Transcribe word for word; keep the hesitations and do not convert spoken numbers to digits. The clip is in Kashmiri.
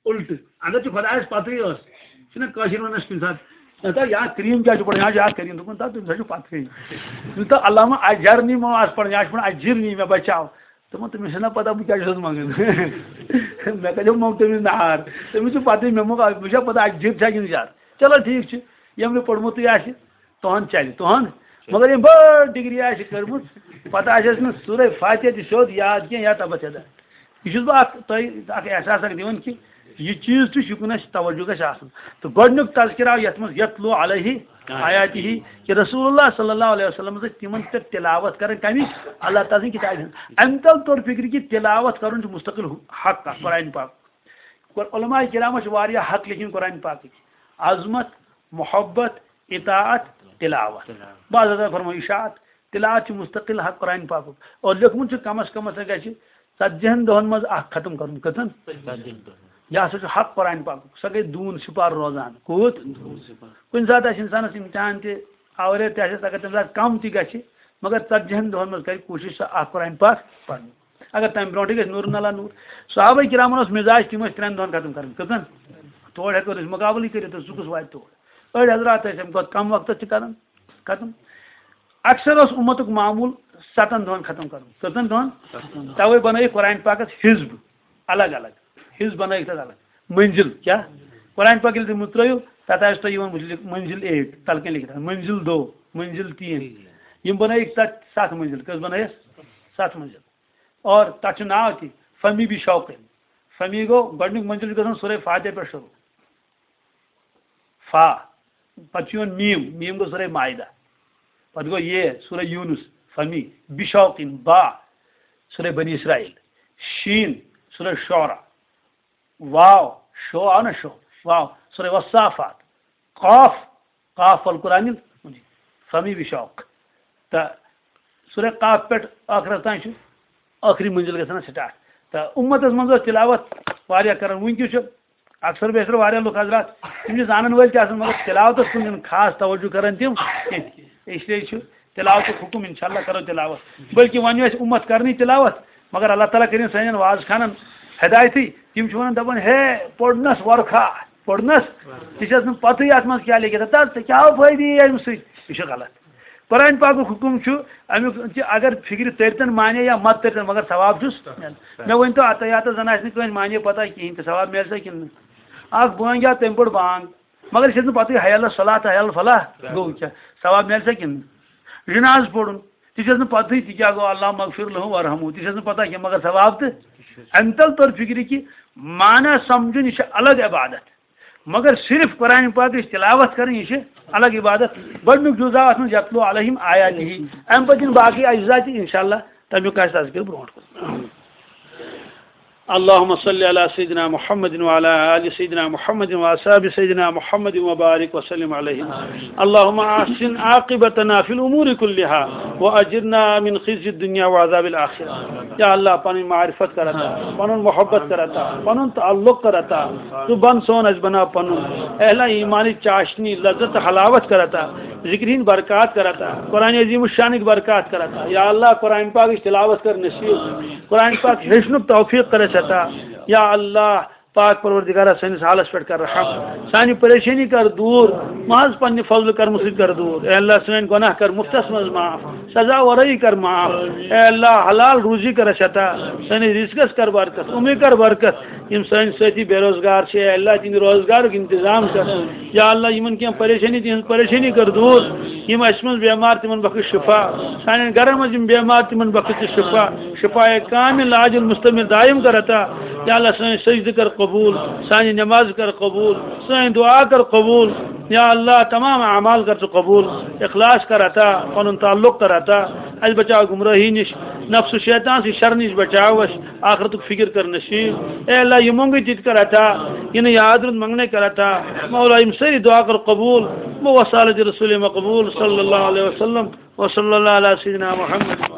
الٹہٕ۔ اگر ژےٚ خۄدایَس پَتہٕے ٲس، چھِنہ کٲشِر وَنان کُنہِ ساتہٕ، "ہے تہٕ یا کرٛیٖم کیٛاہ چھُ پَران؟ یا چھُ اَتھ کٔرِتھ؟" دوٚپُن، "تَتھ تٔمِس ہا چھُ پَتہٕے۔" یوٗتاہ علامہ اجرنی ما آسہٕ پَران، یا چھُ پَران اجرنی، مےٚ بَچاو۔ دوٚپُن، "تٔمِس چھَنہ پَتہ بہٕ کیٛاہ چھُسَس منٛگان۔" مےٚ کَتہِ منٛگ تٔمِس نار؟ تٔمِس چھُ پَتہٕے، مےٚ منٛگ، مےٚ چھا پَتہ اجر چھا کِنہٕ جر؟ چلو ٹھیٖک چھُ، ییٚمۍ نہٕ پوٚرمُتٕے آسہِ، تُہُنٛد چلہِ، تُہُنٛد۔ مگر ییٚمۍ بٔڑ ڈگری آسہِ کٔرمٕژ، پَتہٕ آسٮ۪س نہٕ سورہ فاتحہ تہِ سیوٚد یاد کینٛہہ یا تبت یدا۔ یہِ چھُس بہٕ اکھ، تۄہہِ اکھ احساس اکھ دِوان کہِ یہِ چیٖز تہِ چھُ، یہِ کُن اَسہِ توجہ گژھِ آسُن۔ تہٕ گۄڈٕنیُک تذکرہ آو یَتھ منٛز یتلو علیہ آیاتہ، کہِ رسول اللہ صلی اللہ علیہ وسلم ٲسۍ تِمن پٮ۪ٹھ تلاوت کران کمِچ؟ اللہ تعالیٰ سٕنٛدِ کتابہِ ہٕنٛز۔ امہِ تل توٚر فکرِ کہِ تلاوت کرُن چھُ مستقل حق اکھ قرآن پاک۔ قر-، علماء کرامو چھِ واریاہ حق لیکھِن قرآن پاکٕکۍ، عظمت، محبت، اطاعت، تلاوت۔ تلاوت۔ بعض حضرات فرمو اشاعت، تلاوت چھِ مستقل حق قرآن پاکُک۔ اور لیوٚکھمُت چھُ کم از کم ہسا گژھِ ژتجی ہن دۄہن منٛز اکھ ختم کرُن۔ کٔژن؟ ژتجی ہن دۄہن۔ یہِ ہسا چھُ حق قرآن پاکُک۔ سۄ گٔے دوٗن سِپار روزان۔ کوٗت؟ دوٗن سِپار۔ کُنہِ ساتہٕ آسہِ انسانس امتحان تہِ، آوریر تہِ آسٮ۪س، اگر تمہِ ساتہٕ کم تہِ گژھِ، مگر ژتجی ہن دۄہن منٛز کرِ کوٗشش سۄ اکھ قرآن پاک پرنُک۔ اگر تمہِ برونٹھٕے گژھِ نوٗر نلا نوٗر۔ صحابہ کرامن اوس مزاج، تِم ٲسۍ ترٛٮ۪ن دۄہن ختم کران۔ کٔژن؟ تورٕ ہٮ۪کو نہٕ أسۍ مقابلٕے کٔرِتھ، سُہ کُس واتہِ تور؟ أڑۍ حضرات ٲسۍ امہِ کھۄتہٕ کم وقتس تہِ کران ختم۔ اکثر اوس امتُک معموٗل ستن دۄہن ختم کرُن۔ کٔژن دۄہن؟ ستن دۄہن۔ توے بنٲیِکھ قرآن پاکس حزب الگ الگ، حزب بنٲیِکھ تتھ الگ۔ منزل کیٛاہ؟ قرآن پاک ییٚلہِ تُہۍ مُترٲیِو، تتھ آسہِ تۄہہِ یِوان مُتعلق منزل ایک، تلہٕ کنہِ لیکھِتھ منزل دو، منزل تین۔ یِم بنٲیِکھ تتھ ستھ منزل۔ کٔژ بنٲیِس؟ ستھ منزل۔ اور تتھ چھُ ناو تہِ فمی بشوقن۔ فمی گوٚو گۄڈٕنیُک منزل چھُ گژھان سورہ فاتحہ پٮ۪ٹھ شروع۔ فا۔ پتہٕ چھُ یِوان میٖم، میٖم گوٚو سورہ مائدہ۔ پتہٕ گوٚو یہ، سورہ یونس۔ فمی بشوقن۔ با، سورہ بنی اسرائیل۔ شین، سورہ شعراء۔ واو، شو آو نا شو، واو، سورہ والصافات۔ قاف، قاف والقرآن المجید۔ فمی بشوق۔ تہٕ سورہ قاف پٮ۪ٹھ ٲخرس تام چھُ ٲخری منزل گژھان سٹارٹ۔ تہٕ امتس منٛز ٲس تلاوت واریاہ کران، وٕنکیٚس چھُ اکثر بیشتر واریاہ لُکھ حضرات، تِم چھِ زانن وٲلۍ تہِ آسان، مگر تلاوتس کُن چھِنہٕ خاص توجہ کران تِم کینٛہہ۔ اس لیے چھُ تلاوتُک حکم، انشاءاللہ کرو تلاوت، بلکہ وۄنۍ آسہِ امت کرنی تلاوت، مگر اللہ تعالیٰ کٔرِن سانٮ۪ن واز خانن ہدایتٕے۔ تِم چھِ ونان، دپان، ہے، پوٚرنس ورخا، پوٚرنس، ژےٚ چھَس نہٕ پتہٕے اتھ منٛز کیٛاہ لیکھِتھ، تتھ ژےٚ کیٛاہ فٲیدٕ یی امہِ سۭتۍ؟ یہِ چھُ غلط۔ قرآن پاکُک حکم چھُ، امیُک ژےٚ اگر فکرِ تٔرۍتن معنی یا مت تٔرۍتن، مگر ثواب چھُس۔ مےٚ ؤنۍ تو، اتھ یا تہٕ زن آسہِ نہٕ کٲنٛسہِ معنی پتہ کِہیٖنۍ تہٕ ثواب میلہِ سا کِنہٕ نہٕ؟ اکھ بٲنٛگۍ آو تمہِ پٲٹھۍ بانٛگ، مگر یہِ چھَس نہٕ پتہٕ حی علی الصلاۃ، حی علی الفلاح گوٚو کیٛاہ؟ ثواب میلہِ سا کِنہٕ نہٕ؟ جناز پوٚرُن، تہِ چھَس نہٕ پتہٕے تہِ کیٛاہ گوٚو، اللہم اغفر لہم ورحمہ، تہِ چھَس نہٕ پتہ کینٛہہ، مگر ثواب تہٕ۔ اَمہِ تل توٚر فِکرِ کہِ معنی سمجھُن، یہِ چھِ الگ عبادت، مگر صرف قرآن پاکٕچ تلاوت کرٕنۍ، یہِ چھِ الگ عبادت۔ گۄڈٕنیُک جُز آو اَتھ منٛز یتلو علیہم آیاتہ، اَمہِ پتہٕ یِن باقٕے اجزا تہِ انشاءاللہ، تَمیُک آسہِ تذکرٕ برونٛٹھ کُن۔ اللهم صل على سيدنا محمد وعلى آل سيدنا محمد وأصحاب سيدنا محمد وبارك وسلم عليهم. اللهم أحسن عاقبتنا في الأمور كلها وأجرنا من خزي الدنيا وعذاب الآخرة. یا اللہ، پنٕنۍ معرفت کر عطا، پنُن محبت کر عطا، پنُن تعلق کر عطا۔ ژٕ بن سون، اسہِ بناو پنُن۔ اے اللہ، ایمانٕچ چاشنی، لذت تہٕ حلاوت کر عطا۔ ذکرِ ہٕنٛدۍ برکات کر عطا۔ قرآن عظیم الشانٕکۍ برکات کر عطا۔ یا اللہ، قرآن پاکٕچ تلاوت کر نصیب۔ قرآن پاک ہیٚچھنُک توفیق کر اَسہِ عطا۔ یا اللہ، پاک پروردگارا، سٲنِس حالس پٮ۪ٹھ کر رحم، سانہِ پریشٲنی کر دوٗر، محض پننہِ فضلہٕ کرمہٕ سۭتۍ کر دوٗر۔ اے اللہ، سٲنۍ گۄناہ کر مُفتس منٛز معاف، سزا ورٲیی کر معاف۔ اے اللہ، حلال روزی کر اَسہِ عطا، سٲنِس رزقس کر برکت، اُمے کر برکت۔ یِم سٲنۍ سٲتھی بے روزگار چھِ، اے اللہ، تِہنٛدِ روزگارُک انتظام کر۔ یا اللہ، یِمن کینٛہہ پریشٲنی، تِہنٛز پریشٲنی کر دوٗر۔ یِم اَسہِ منٛز بیمار، تِمن بخش شفا۔ سانٮ۪ن گرن منٛز یِم بیمار، تِمن بخش ژٕ شفا۔ شفا کامل عاجل مستمر دائم کر عطا۔ یا اللہ، سٲنۍ سجدٕ کر قبول، سانہِ نماز کر قبول، سٲنۍ دعا کر قبول۔ یا اللہ، تمام اعمال کر ژٕ قبول، اخلاص کر عطا، پنُن تعلق کر عطا۔ اَسہِ بچاو گمراہی نِش، نفس و شیطان سٕنٛدِ شرٕ نِش بچاو اَسہِ، آخرتُک فکر کر نصیب۔ اے اللہ، یہِ مۄنٛگٕے تہِ تہِ کر عطا، یہِ نہٕ یاد روٗد منٛگنے کر عطا۔ مولا، یِم سٲری دعا کر قبول۔ وصلى على رسول مقبول صلى الله عليه وسلم۔ وصلى الله على سيدنا محمد۔